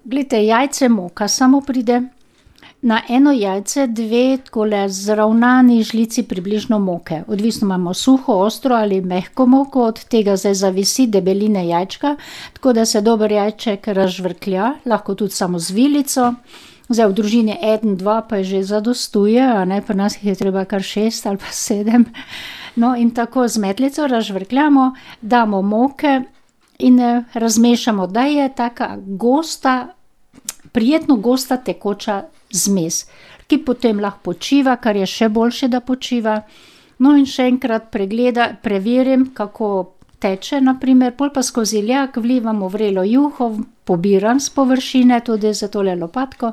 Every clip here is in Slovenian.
Glejte, jajce moka samo pride. Na eno jajce 2 takole zravnani žlici približno moke. Odvisno imamo suho, ostro ali mehko moko, od tega zdaj zavisi debeline jajčka, tako da se dober jajček razžvrklja, lahko tudi samo z vilico. Zdaj v družini 1, 2 pa že zadostuje, a ne, pri nas jih je treba kar 6 ali pa 7. No, in tako z metlico razžvrkljamo, damo moke in razmešamo, da je taka gosta, prijetno gosta tekoča zmes, ki potem lahko počiva, kar je še boljše, da počiva. No in še enkrat preverim, kako teče, naprimer, pol pa skozi lijak vlivamo vrelo juho, pobiram s površine, tudi za tole lopatko,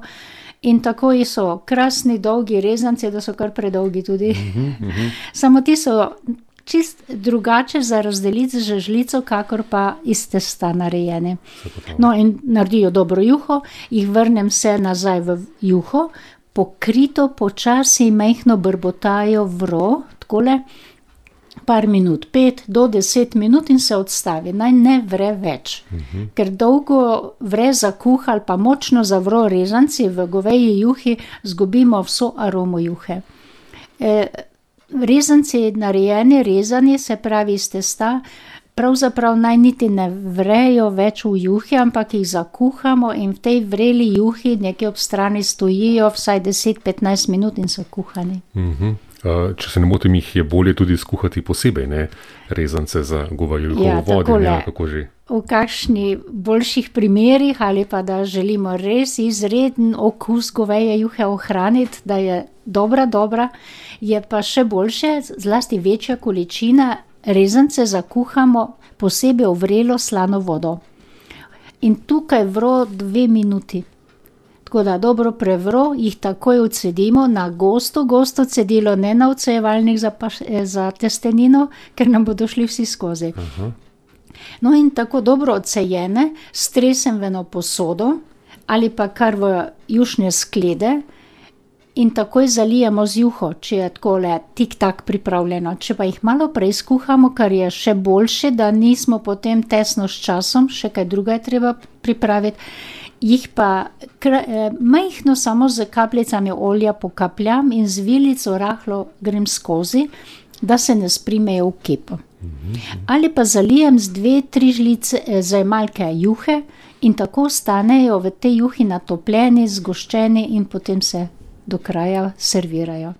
in tako so krasni, dolgi rezanci, da so kar predolgi tudi. Samo ti so čist drugače za razdeliti z žlico, kakor pa iz testa narejeni. No, in naredijo dobro juho, jih vrnem se nazaj v juho, pokrito, počasi, majhno brbotajo takole, par minut, 5 do 10 minut in se odstavi. Naj ne vre več. Ker dolgo vre zakuha ali pa močno zavro rezanci v goveji juhi, zgubimo vso aromo juhe. Rezanci narejeni, rezani, se pravi iz testa, pravzaprav naj niti ne vrejo več v juhi, ampak jih zakuhamo in v tej vreli juhi nekje ob strani stojijo vsaj 10-15 minut in so kuhani. Če se ne motim, jih je bolje tudi skuhati posebej, ne? Rezance za govejo juho v vodi, ne, kako že. V kakšni boljših primerih ali pa da želimo res izreden okus goveje juhe ohraniti, da je dobra, je pa še boljše, zlasti večja količina, rezance zakuhamo posebej v vrelo slano vodo. In tukaj vro 2 minuti. Tako da dobro prevro, jih takoj odcedimo na gosto cedilo, ne na odcejevalnik za testenino, ker nam bodo šli vsi skozi. No in tako dobro odcejene, stresem v eno posodo ali pa kar v jušne sklede in takoj zalijemo z juho, če je takole tik-tak pripravljeno. Če pa jih malo prej skuhamo, kar je še boljše, da nismo potem tesno s časom, še kaj druga je treba pripraviti, jih pa majhno samo z kapljicami olja pokapljam in z vilico rahlo grem skozi, da se ne sprimejo v kepo. Ali pa zalijem z 2-3 žlice zajemalke juhe in tako ostanejo v tej juhi natopljeni, zgoščeni in potem se do kraja servirajo.